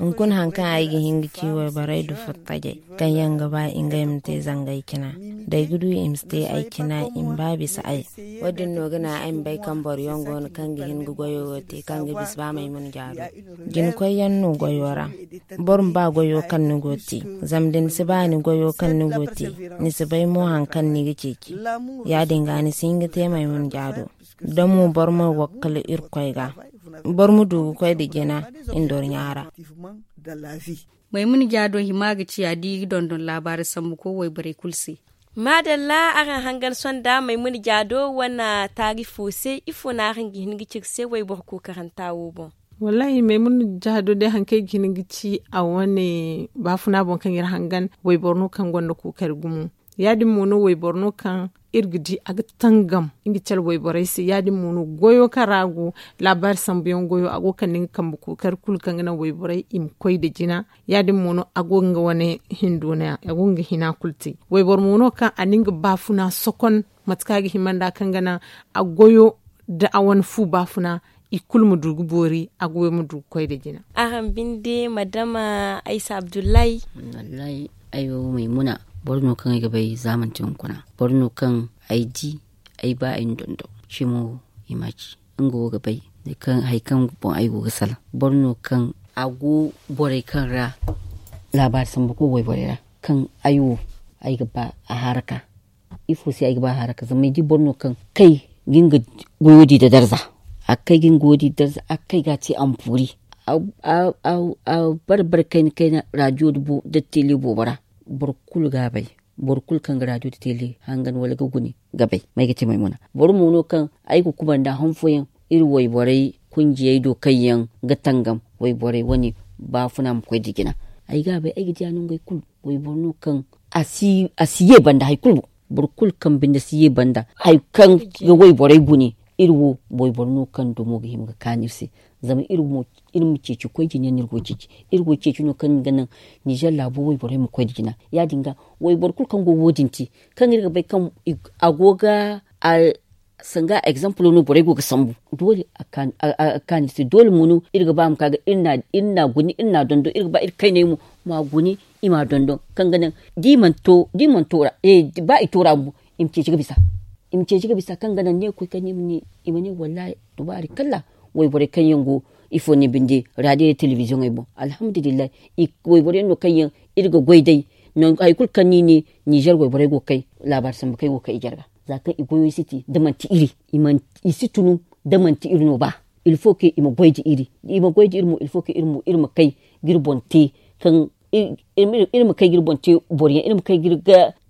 Hunkuna hari kaŋ ay ga hin ga ci wayborey nda furtajey kaŋ yaŋ ga ba ngey ma te zangey cina da ay ga du i ma si te ay cina i ma ba bisa ay. Wo- din no ga naŋ ay ma bay kaŋ boro yaŋ go no kaŋ ga hin ga goyo wo te kaŋ ga bisa ba maymuna jaado. Jina koyyaŋ no goyo ra. Boro ma ba goyo kaŋ ni go ga te. Zama da ni si ba ni goyo kaŋ ni go ga te, ni si bay mo hari kaŋ ni ga ceeci. Ya- din ga ni si hin ga te maymuna jaado. Da mo boro ma wakkala irkoy ga. Boro ma du ga koy nda jina. Ndorɲa ra. Maymuna jaado hima ga ci a di ga dondon laabaari sambu ko wayborey kulu se. Maadalla araŋ hangan sonda maymuna jaado wane taarifo se ifo no araŋ ga hin ga ci iri se wayboro kookaranta wo boŋ? Wallaahi maymuna jaado day hari kaŋ ay ga hin ga ci a wane baafuna boŋ kaŋ iri hangan wayboro no kaŋ gonda kookari gumo. Ya- din mo no wayboro no kaŋ iri ga di a ga tangam nga care wayborey se. Ya- din mo no goyo kaŋ ra a go, laabaari sambuyaŋ goyo, a go ga kande nga kambe kookari kulu kaŋ ga naŋ wayborey i ma koy nda jina. Ya- din mo no a go ga nga wane hindo no ya a go ga nga hina kulu te. Wayboro mo no kaŋ a na nga baafuna sokon mate kaŋ a ga hima nd'a kaŋ ga naŋ a goyo nda a wane fu baafuna i kulu ma du ga boori a goyo ma du ga koy nda jina. Araŋ binde madama aysa abdullahi. Wallahi, ay wo maymuna, boro no kaŋ ay ga bay za manti hunkuna, boro no kaŋ ay di ay ba ay na dondon cimo i ma ci. Nga wo ga bay hari kaŋ boŋ ay go ga salaŋ. Boro no kaŋ a go borey kaŋ ra laabaari sambu koy wayborey ra, kaŋ ay wo ay ga ba a haraka. Ifo se ay ga ba a haraka zama ay di boro no kaŋ kay ga nga goyo di nda darza. A kay ga nga goyo di nda darza a kay ga a te ampuuri. A bare bare kayna kayna raadiyo nda tele boobo ra. Boro kulu ga a bay. Boro kulu kaŋ ga raadiyo nda tele hangan wala ga gune ga bay ma ay ga te maymuna. Boro mo no kaŋ ay ga kubanda han fooyaŋ iri wayborey kunjiyey do kaŋ yaŋ ga tangam wayborey wane baafuna ma koy nda jina. Ay ga a bay ay ga diya no ngey kulu. Wayboro no kaŋ a si ye banda hari kulu boŋ. Boro kulu kaŋ binde si ye banda hari kaŋ ga wayborey gune. Iri wo wayboro no kaŋ dumo ga hima ga kaanu iri se. Zama iri ma ceeci koy jina yaŋ no iri go ga ceeci. Iri go ga ceeci no kaŋ ga naŋ nizer laabo wayborey ma koy nda jina. Ya- din ga wayboro kulu kaŋ go ga wo- din te kaŋ iri ga bay kaŋ a go ga sanga egzampulo no borey go ga sambu. Doole a ga kaanu iri se doole mo no iri ga ba a ma ka ga iri n'a guni iri n'a dondon iri ga ba iri kayney mo ma guni i m'a dondon kaŋ ga naŋ da i mana to ra ba i to ra bumbo i ma ceeci ga bisa. I ma ceeci ga bisa kaŋ ga naŋ ne koy kaŋ no i ma ne i ma ne wallaahi dubaari kalla. Wayborey kaŋ yaŋ go ifo ne binde raadiyo nda telebiziyoŋey boŋ alhamdulillahi. Wayborey no kaŋ yaŋ iri ga goy day nangu hari kulu kaŋ no i ne nizer wayborey go ga kay laabaari sambu kaŋ ay go ga kay i jarga. Za kaŋ i goyo si te da manti iri i si tunu da manti iri no ba. Ilfo ke i ma goy nda iri da i ma goy nda iri mo ilfo ke iri mo iri ma kay ga iri boŋ te kaŋ iri ma kay ga iri boŋ te boro yaŋ iri ma kay ga iri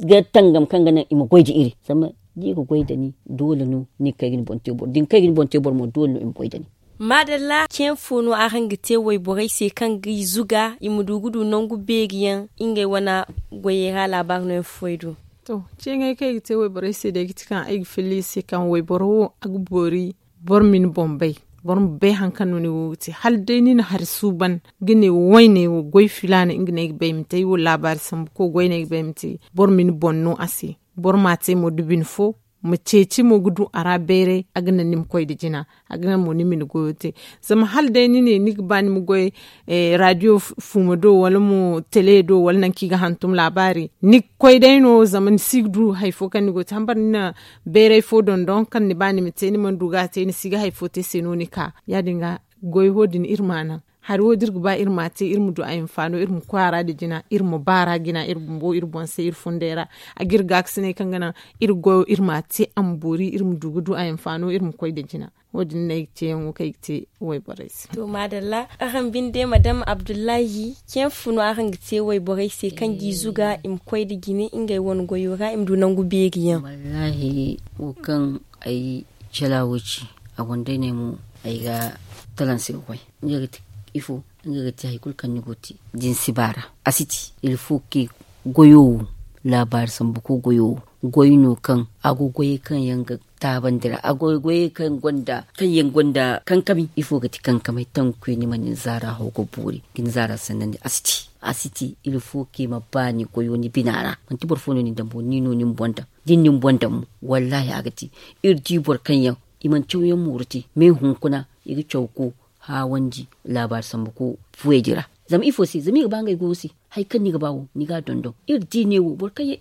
ga tangam kaŋ ga naŋ i ma goy nda iri. Zama da i ga goy nda ni doole no ni ga kay ga ni boŋ te boro da ni kay ga ni boŋ te boro mo doole no i ma goy nda ni. Maadalla ceeŋ fo no araŋ ga te wayborey se kaŋ ga i zuga i ma du ga du nangu beeri yaŋ ngey wane goyey ra laabaari no yaŋ fooyaŋ do. To ceeŋey kaŋ ay ga te wayborey se day ga ti kaŋ ay ga filla i se kaŋ wayboro wo a ga boori. Boro ma ni boŋ bay boro ma bay hari kaŋ no ni go ga te hala day ni na hari suuban ga ne wo wayney wo goy filaana nga no ay ga bay ma te ay wo laabaari sambu koy goy no ay ga bay ma te. Boro ma ni boŋ no a se. Boro m'a te mo da bine fo ma ceeci mo ga du a ra bayray a ga naŋ ni ma koy nda jina. A ga naŋ mo ni ma ni goyo te. Zama hala day ni ne ni ga ba ni ma goy raadiyo fuuma do wala mo tele do wala nangu kaŋ i ga hantum laabaari ni ga koy day no zama ni si ga du hari fo kaŋ ni go ga te hambara ni na bayray fo dondon kaŋ ni ba ni ma te ni mana du ga a te ni si ga hari fo te se no ni ka. Ya- din ga goy wo- din iri m'a naŋ hari wo da iri ga ba iri m'a te iri ma du a hinfaano iri ma koy a ra nda jina iri ma ba a ra jina iri bumbo iri boŋ se iri funday ra. A ga iri gaakasinay kaŋ ga naŋ iri goyo iri m'a te a ma boori iri ma du ga du a hinfaano iri ma koy nda jina. Wo- din no ay ga te yaŋo kaŋ ay ga te wayborey se. To maadalla araŋ binde madam abdullahi ceeŋ fo no araŋ ga te wayborey se kaŋ g'i zuga i ma koy nda jine ngey wane goyo ra i ma du nangu beeri yaŋ. Wallaahi wo kaŋ ay cala wo ci a gonda ay ne mo ay ga talanse ga koy. Nga ga ti ifo nga ga ti hari kulu kaŋ ni go ga te da ni si ba ra a si ti. Ilfo ke goyo wo laabaari sambu koy goyo wo goy no kaŋ a go goyey kaŋ yaŋ ga taabandi ra a go goyey kaŋ gonda kankami ifo ga ti kankamay tanku koy ni ma ni zaara haw ga boori ga ni zaara sannandi a si ti. A si ti ilfo ke ma ba ni goyo ni bina ra manti boro fo no ni daŋ bo ni no ni ma boŋ daŋ da ni na ni boŋ daŋ mo. Wallaahi a ga ti iri di boro kaŋ yaŋ i mana caw yaŋ mooru te me hunkuna i ga caw ko haawandi laabaari sambu ko fuwey din ra. Zama ifo se zama i ga ba ngey goyo se hari kaŋ ni ga ba wo ni ga a dondon iri di ne wo boro kaŋ yaŋ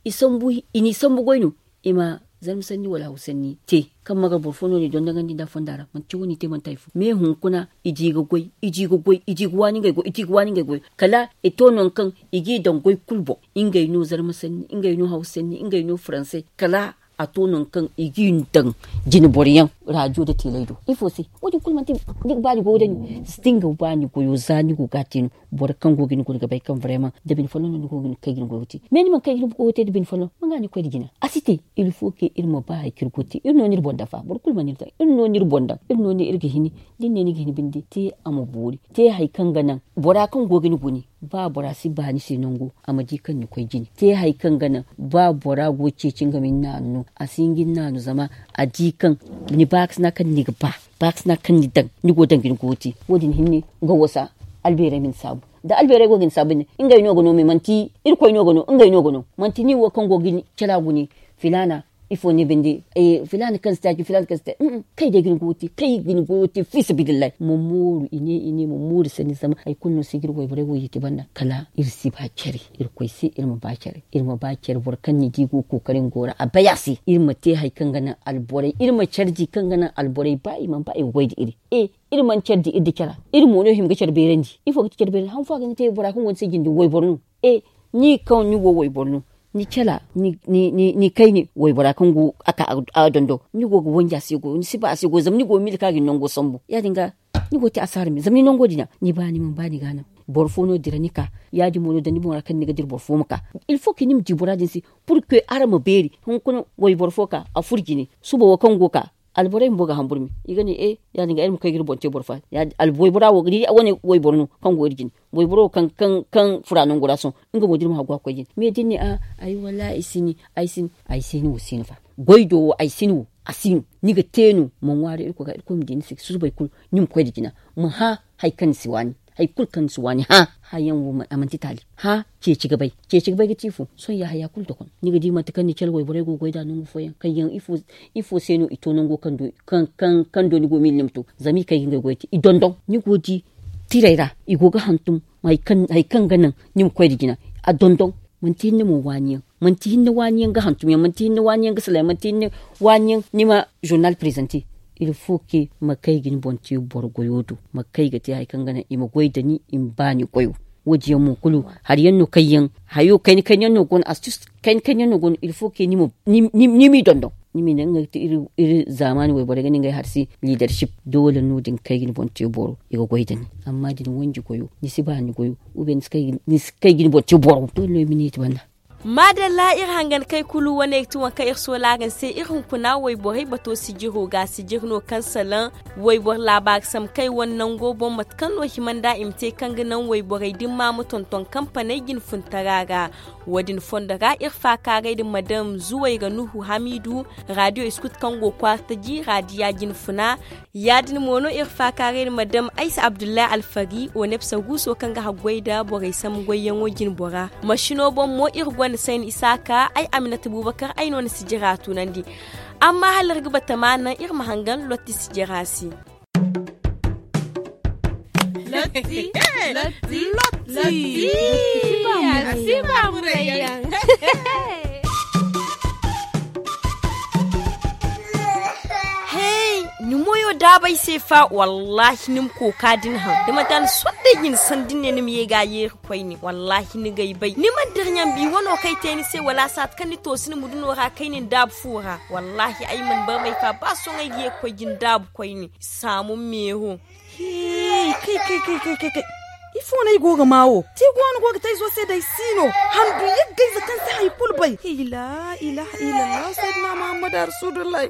i sambu i n'i sambu goy no i ma zarma sanni wala haw sanni te kaŋ ma ga boro fo no n'i dondon gandi nda fonda ra manti wo n'i te manti hari fo me hunkuna i di ga goy i di ga waani ngey goy i di ga waani ngey goy kala i to nangu kaŋ i g'i daŋ goy kulu boŋ. Ngey no zarma sanni ngey no haw sanni ngey no faranse kala a to nangu kaŋ i g'i daŋ jine boro yaŋ raadiyo nda teley do ifo se? Wo- din kulu manti ni ga ba ni goyo da ni da ni ga ba ni goyo za ni go ga a te no boro kaŋ go ga ni guna ga bay kaŋ barayma da bine folloŋ no ni go ga kay ga ni goyo te. Mais ni mana kay ga ni goyo te da bine folloŋ manga ni ga koy nda jina a si te. Ilfo ke iri ma ba hari kaŋ iri go ga te iri no no iri boŋ daŋ fa boro kulu mana iri daŋ iri no no iri boŋ daŋ iri no no iri ga hini da ni ne ni ga hini binde te a ma boori te hari kaŋ ga naŋ bora kaŋ go ga ni guni. Ba bora si ba ni se nango, a ma di kaŋ ni koy jine te hari kaŋ ga naŋ ba bora go ceeci nga ma ni naanu no. A si hin ga ni naanu zama a di kaŋ ni baakasina kaŋ ni ga ba, baakasina kaŋ ni daŋ, ni go daŋ ga ni goyo te. Wo- din hinne ga wasa albeerey ma ni saabu. Da albeerey go ga ni saabu ne, ngey no ga no me manti irkoy no ga no ngey no ga no. Manti ni wo kaŋ go ga ni cala gune filaana, ifo ne binde? Filaana kaŋ si taaci, filaana kaŋ si taaci. Kay day ga ni goyo te, kay ga ni goyo te fiisabilillahi. Ma mooru i ne i ne ma mooru sanni zama hari kulu no si ga iri wayborey wo yeti banda kala iri si ba care. Irkoy se iri ma ba care, iri ma ba care boro kaŋ ni di go ga kookari nga go ra a bay a se. Iri ma te hari kaŋ ga naŋ alborey iri ma care di kaŋ ga naŋ alborey ba i mana ba i ga goy nda iri. E, iri mana care di iri da cara. Iri mo no hima ga care beerandi. Ifo ga ti care beerandi han fo a ga ni te bora kaŋ go ni se jinde wayboro no. E, ni kaŋ ni go wayboro no, ni cala, ni kayne waybora kaŋ go a ka a dondo ni go ga wanji a se goyo ni si ba a se goyo zama ni go ga miila kaŋ a ga ni nango sambu ya- din ga. Ni go ga te asaara me zama ni nango din a ni ba ni mana ba ni ga a naŋ. Boro fo no dira ni ka, ya- din mo no da ni boŋ ra kaŋ ni ga dira boro fo ma ka. Il faut que ni ma di bora din se. Pur que araŋ ma beeri hunkuna wayboro fo ka a furo jine suba wo kaŋ go ga ka. Alborey bumbo ga hambur me i ga ne e ya- din ga iri ma koy ga iri boŋ te boro fo. Waybora wo ga di wane wayboro no kaŋ go iri jine. Wayboro wo kaŋ fura nangu ra sohõ nga mo da iri ma haggu a ga koy jine me da ni ne a ay wallaahi ay si ni, ay si ni ay si ni wo si no fa. Goy do wo ay si ni wo a si no. Ni ga te no ma ŋwaari irkoy ga irkoy ma di ni se susubay kulu. Ni ma koy nda jina ma hã hari kaŋ ni si waani. Hari kulu kaŋ ni si waani hã. Hã yaŋ wo a manti taali. Hã ceeci ga bay. Ceeci ga bay ga ti ifo? Sohõ ya haya kulu dokon ni ga di manti kaŋ ni care wayborey go ga goy nd'a nangu fooyaŋ kaŋ yaŋ ifo se no i to nango kaŋ do ni go ga miila ni ma to. Zama i kay ga ngey goy te i dondon ni go ga di tirey ra i go ga hantum. Hari kaŋ ga naŋ ni ma koy nda jina a dondon. Manti hinne mo waani yaŋ manti hinne waani yaŋ ga hantum yaŋ manti hinne waani yaŋ ga sala yaŋ manti hinne waani yaŋ ni ma zurnal prezante. Il faut que ma kay ga ni boŋ te boro goyo do ma kay ga te hari kaŋ ga naŋ i ma goy nda ni i ma ba ni goyo. Wo- din yaŋ mo kulu hari yaŋ no kaŋ yaŋ hayo kayna kayna yaŋ no go no astus kayna kayna yaŋ no go no il faut que ni m'i dondon. Ni m'i naŋ ngey ga te iri zaamaani wayborey ga ne ngey hari se liidaršip. Doole no da ni kay ga ni boŋ te boro i ga goy nda ni. Amma da ni wanji goyo ni si ba ni goyo. Ni si kay ga ni boŋ te boro doole no i ma ni yeeti banda. Maadalla iri hangankey kulu wane ga ti waŋ kaŋ iri soola araŋ se iri hunkuna wayborey bato sijiro ga sijir no kaŋ salaŋ wayboro laabaari sambu kaŋ i wane nango boŋ mate kaŋ no hima nd'a i ma te kaŋ ga naŋ wayborey dimma ma tonton kampaney jinfuntara ra. Wo- din fondo ra iri faakaaray nda madam zuway ga nuhu hamiidu raadiyo iskut kaŋ go kwaara taji raadiya jinfuna. Ya- din mo no iri faakaaray nda madam aysa abdullahi alfari onepsa guuso kaŋ ga haggoy nda borey sambu goyyaŋo jinbora. Masino boŋ mo iri gonda sayni isaaka ay aminata buubakar ay no na sijira tunandi. Amma hala iri ga batama naŋ iri ma hangan lotti sijira se. Lotti. Lotti. Lotti. Lotti. Hey, ni moyo daabay se fa wallahi ni ma kooka din haŋ da manti a ni sondey jine sanda ni ne ni ma ye ga a yeeri koyne wallahi ni g'ay bay ni mana dira ɲambi wano kaŋ ay te ni se wala saati kaŋ ni toosi ni muduno ra kayne ni daabu fu ra. Wallahi ay mana barmay fa ba sohõ ay ga ye ga koy jine daabu koyne. Saamu meeho. Kay kay kay kay kay kay. Ifo no ay go ga maa wo ti go no go ga te ay zo se day si no. Handu yaggayze kaŋ si hari kulu bay. Ila ila ila ila saydina muhammad arsudullahi.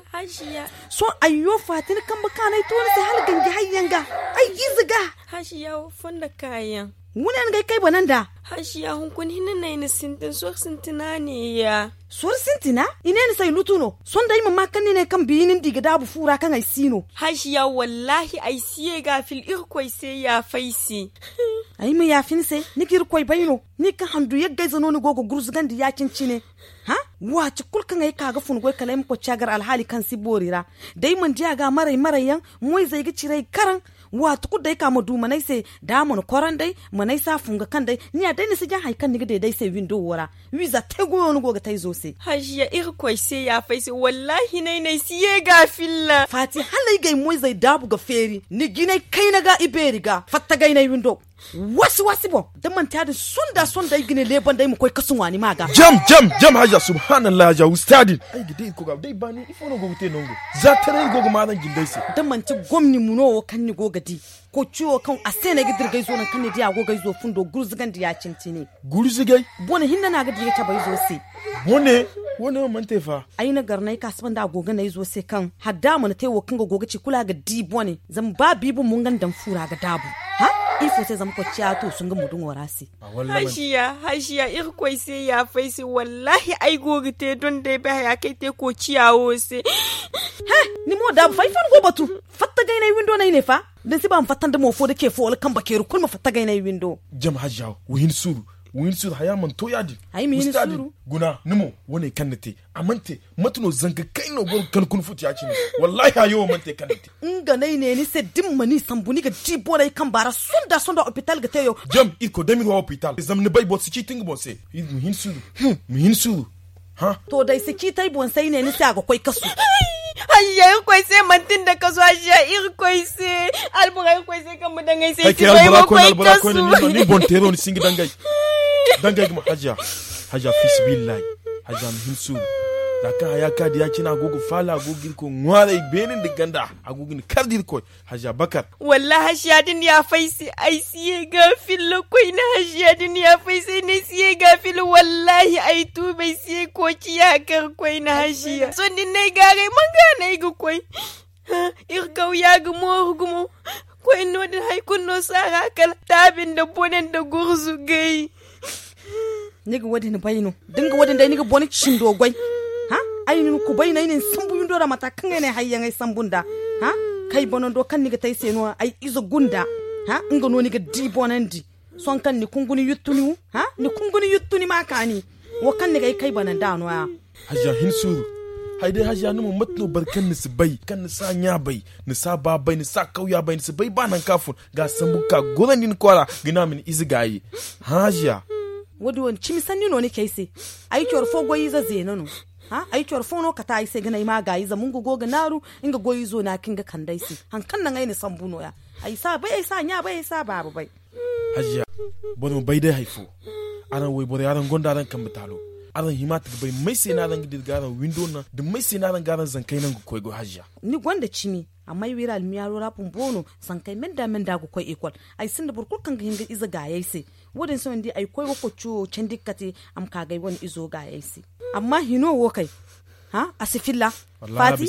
Sohõ ayyo faati ni kambe kaanay to ni se hala ganji hayyaŋ ga. Ay ga ize ga. Hashiya wo fondo kaayaŋ. Wune ni ga ay kay bana nda. Hashiya hunkuna hinne no ay na sintin soro sintina neeya. Soro sintina? I ne ni se ay lutu no. Sohõ day ay ma maa kaŋ ni ne kaŋ biyi ni nda i ga daabu fu ra kaŋ ay si no. Hashiya wallahi ay si ye ga a fil irkoy se yaafa ay se. Ay ma yaafa ni se. Ni ga irkoy bay no. Ni ga handu yaggayze no ni go ga gurzugandi ya-cine-cine. Hã? Waati kulu kaŋ ay ka ga fun goy kala ay ma koy caagar alhaali kaŋ si boori ra. Da ay mana di a ga maray-maray yaŋ moyzey ga cire ay karaŋ. Waati kulu day ka ma du mana ay se da a mana koronday mana ay se a funga kaŋ day. Ni ya day ni si jaŋ hari kaŋ ni ga deeda ay se windo wo ra. Wiiza te goyo ni go ga te ay zo se. Hajiya irkoy se yaafa ay se wallahi nay no ay si ye ga a filla. Faati hala ay ga ay moyzey daabu ga feeri ni jinay kayna ga ibeeri ga fatta gaynay windo. Wasi wasi boŋ da manti ya- din sonda sonda ay ga ne leebanda ay ma koy kasu ŋwa ni ma ga. Jam jam jam hajiya subhanallah hajiya wusta din. Ay ga day irkoy ga day baani ifo no go ga te nango. Za taray go ga maaran jindey se. Da manti gomni muno wo kaŋ ni go ga di. Koy ciyo kaŋ a se no ay ga dirgay zo nangu kaŋ ni di a go ga ay zo fundo gurzugandi ya- cine cine. Gurzugay? Bone hinne no a ga di ga cabe ay zo se. Bone? Wane no mana te fa. Ay na gar no ay ka saba nda a go ga ne ay zo se kaŋ hala da a mana te wo kaŋ ga go ga ci kulu a ga di bone. Zama ba biibi mo nga nda daŋ fuura ga daabu. Ha? Ifo se zama koociya to su nga muduŋo ra se. Hajiya, hajiya, irkoy se yaafa ay se. Wallaahi ay go ga te don day bay haya kaŋ ay te koociya wo se. He, ni mo daabu fa ifo ni go batu. Fatta gay n'ay windo no ay ne fa. Da ni si ba ma fatta nda mo fo da ce fo wala kambe ceeri kulu ma fatta gay n'ay windo. Jama hajiya, wa hin suuru. Wa hin suuru haya mana to ya- din. Ay ma hin suuru. Guna ni mo, wane kaŋ ni te a mana te. Mate no zanga kayna no boro ga kala kuna futu ya- cine. Wallaahi hayo wo mana te kaŋ ni te. Nga no ay ne ni se da ni ma ni sambu ni ga di borey kamba ra sonda sonda opital ga te yo. Jam irkoy damir wa opital zama ni bay boro si ciiti nga boŋ se. Ma hin suuru. Ma hin suuru. To da ay si ciiti ay boŋ se ay ne ni se a ga koy kasu. Hajiya irkoy se manti nda kasu hajiya irkoy se. Albura irkoy se kaŋ ma daŋ ay se ay si bay ma koy kasu. Ni boŋ teero ni si nga daŋ ay. Daŋ ay ga ma hajiya. Hajiya fisibillahi. Hajiya ma hin suuru. Za kaŋ haya ka di ya- cine a go ga faala a go ga irkoy ŋwaaray beene nda ganda. A go ga ni kar da irkoy. Hajiya bakar. Wallaahi hajiya da ni yaafa ay se ay si ye ga filla koyne hajiya da ni yaafa ay se ay ne ay si ye ga filla wallaahi ay tuuba ay si ye koociya kar koyne hajiya sohõ da ni n'ay gaaray man ga no ay ga koy. Iri kawya ga mooru gumo. Koyne no- din hari kulu no si a ra kala taabi nda bone nda gurzu gay. Ni ga wo- din bay no da ni ga wo- din day ni ga bone cindo goy. Ay na ni kubay no ay na ni sambu windo ra mata kaŋ ay na ay hari yaŋ ay sambu nd'a. Kay banando kaŋ ni ga te ay se no ay ize gunda. Nga no ni ga di bonandi. Sohõ kaŋ ni kungu ni yuttu ni wu. Ni kungu ni yuttu ni ma kaani. Wo kaŋ ni ga ay kay bananda no- ya. Hajiya hin suuru. Hay day hajiya ni mo mate no boro kaŋ ni si bay kaŋ ni si a ɲa bay, ni si a ba bay, ni si a kawya bay ni si bay ba nangu kaŋ a fun. Ga a sambu ga ka gorandi ni kwaara ga ne a ma ni ize gaayi. Hajiya. Wo- din wane cimi sanni no ni ci ay se. Ay coro fo goy ize zeena no. Ay coro fo no kate ay se ga ne ay ma a gaayi zama nga go ga naaru. Nga goy izo no a kaŋ ga kande ay se. Hari kaŋ naŋ ay na sambu no- ya. Ay si a bay ay si a ɲa bay ay si a baaba bay. Hajiya, boro ma bay day hari fo. Araŋ wayborey araŋ gonda araŋ kambe taalo. Araŋ hima ta ga bay may se no araŋ ga dira ga araŋ windo naŋ da may se no araŋ ga araŋ zankey naŋ ga koy goy hajiya. Ni gonda cimi. Amma ay wira almiyaaro ra bumbo no. Zankey menda menda ga koy ekol. Ay sinda boro kulu kaŋ ga hin ga ize gaayey se. Wo- din se no ni di ay koy wo kocco candi ga kate. A ma ka ga ay wane izo gaayey se. Amma hino wo kay. A si filla. Faati.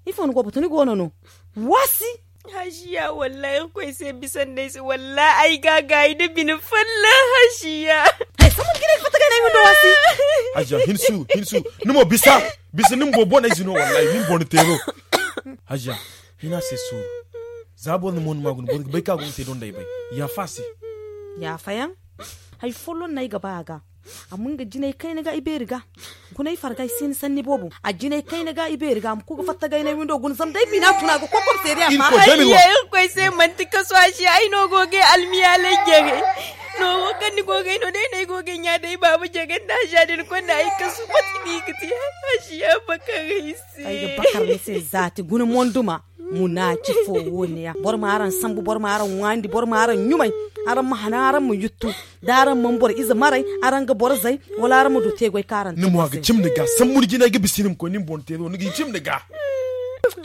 Ifo ni go batu ni go no no. Waasi. Hajiya wallahi irkoy se bisa nda ay se wallahi ay ga a gaayi nda bine folloŋ hajiya. Hay sambu ni ga ne ga fatta ga ay na ay windo waasi. Hajiya hin suuru hin suuru. Ni mo bisa. Bisa ni ma boro boney si no wallahi ni ma boro ni teero. Hajiya. Hina se suuru. Za boro ni mo ni ma guna boro ga bay kaŋ a go ga te donday bay. Yaafa a se. Yaafayaŋ. Hari folloŋ no ay ga ba a ga. Amma nga jinay kayna ga ibeeri ga. Guna ay farga ay si ni sanni boobo a jinay kayna ga ibeeri ga a ma ku ga fatta ga ay na ay windo guna zama day bina tuna ga kokob seeriya ma. Ay ye irkoy se manti kasu a se ay no go ga ay almiyaalay jare. No wo kaŋ ni go ga ay no day no ay go ga ay ɲa day baaba jare nda a se a din konda ay kasu mate ni ga te a se ya bakar ay se. Ay ga bakar ni se zaati guna monduma. Munaaci fo wo- ne ya boro ma araŋ sambu boro ma araŋ ŋwaandi boro ma araŋ ɲumay. Araŋ ma hana araŋ ma yuttu da araŋ mana boro ize maray. Araŋ ga boro zay wala araŋ ma du te goy kaŋ araŋ te ni mo a ga cim ni ga sambu ni jinay ga bisa ni ma koy ni ma boŋ teero ni ga cim ni ga.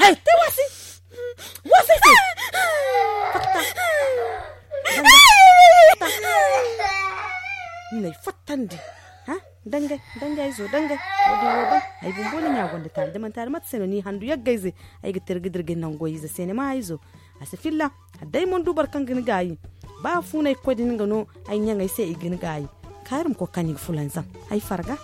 Hay te wasi. Wasi se. Fatta. Ni n'ay fattandi. Dangay dangay ay zo dangay. Wo- din wo ban ay bumbo ni ɲa gonda taali da manti hari mate se no ni handu yaggayze. Ay ga tirga dirga ni nangu goy ize se ni ma ay zo. A si filla. Adday mana du boro kaŋ ga ni gaayi. Ba fuunay ga koy da ni ga no ay ɲaŋey se i ga ni gaayi. Kaari ma koy ga ka ni ga fulanzam ay farga.